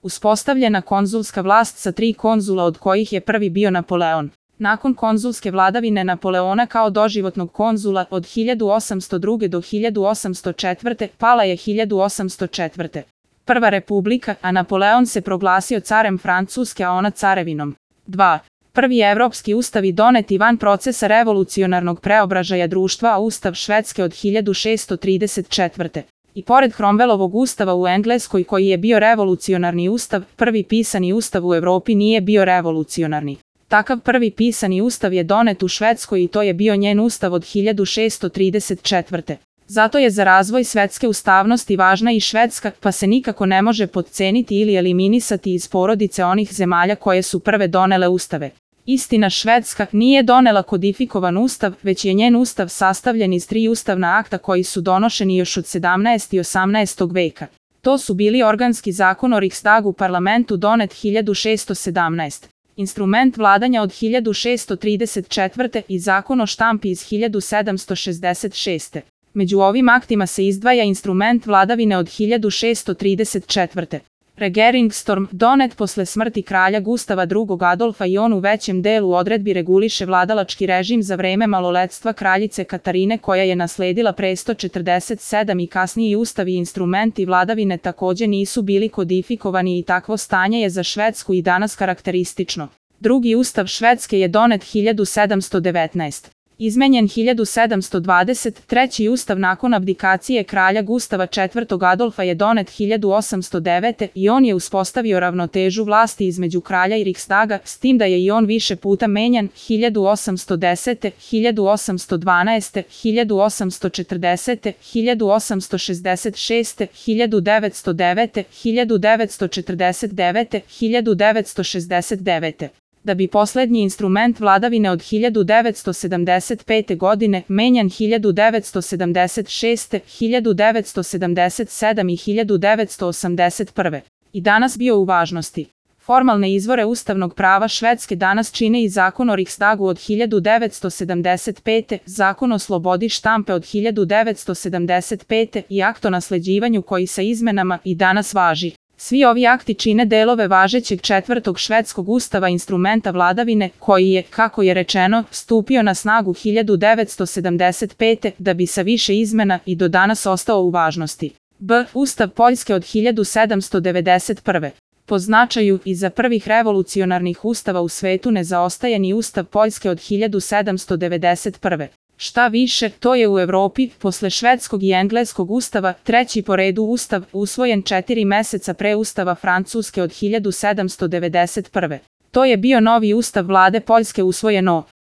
Uspostavljena konzulska vlast sa 3 konzula od kojih je prvi bio Napoleon. Nakon konzulske vladavine Napoleona kao doživotnog konzula od 1802. do 1804. pala je 1804. Prva republika, a Napoleon se proglasio carem Francuske, a ona carevinom. 2. Prvi evropski ustavi doneti van procesa revolucionarnog preobražaja društva, a ustav Švedske od 1634. I pored Cromwellovog ustava u Engleskoj koji je bio revolucionarni ustav, prvi pisani ustav u Evropi nije bio revolucionarni. Takav prvi pisani ustav je donet u Švedskoj i to je bio njen ustav od 1634. Zato je za razvoj svetske ustavnosti važna i Švedska, pa se nikako ne može potceniti ili eliminisati iz porodice onih zemalja koje su prve donele ustave. Istina, Švedska nije donela kodifikovan ustav, već je njen ustav sastavljen iz 3 ustavna akta koji su donošeni još od 17. i 18. veka. To su bili organski zakon o Riksdagu parlamentu donet 1617. Instrument vladanja od 1634. i zakon o štampi iz 1766. Među ovim aktima se izdvaja instrument vladavine od 1634. Regeringsstorm, donet posle smrti kralja Gustava II. Adolfa i on u većem delu odredbi reguliše vladalački režim za vreme maloletstva kraljice Katarine koja je nasledila presto 47 i kasniji ustav i instrumenti vladavine takođe nisu bili kodifikovani i takvo stanje je za Švedsku i danas karakteristično. Drugi ustav Švedske je donet 1719. Izmenjen 1720, treći ustav nakon abdikacije kralja Gustava IV. Adolfa je donet 1809. i on je uspostavio ravnotežu vlasti između kralja i Riksdaga, s tim da je i on više puta menjan 1810., 1812., 1840., 1866., 1909., 1949., 1969. Da bi poslednji instrument vladavine od 1975. godine menjan 1976., 1977. i 1981. i danas bio u važnosti. Formalne izvore ustavnog prava Švedske danas čine i zakon o Riksdagu od 1975., zakon o slobodi štampe od 1975. i akt o nasleđivanju koji sa izmenama i danas važi. Svi ovi akti čine delove važećeg 4. švedskog ustava instrumenta vladavine, koji je, kako je rečeno, stupio na snagu 1975. da bi sa više izmena i do danas ostao u važnosti. B. Ustav Poljske od 1791. Po značaju iza prvih revolucionarnih ustava u svetu ne zaostaje ni Ustav Poljske od 1791. Šta više, to je u Evropi, posle švedskog i engleskog ustava, treći po redu ustav, usvojen 4 meseca pre ustava Francuske od 1791. To je bio novi ustav vlade Poljske usvojen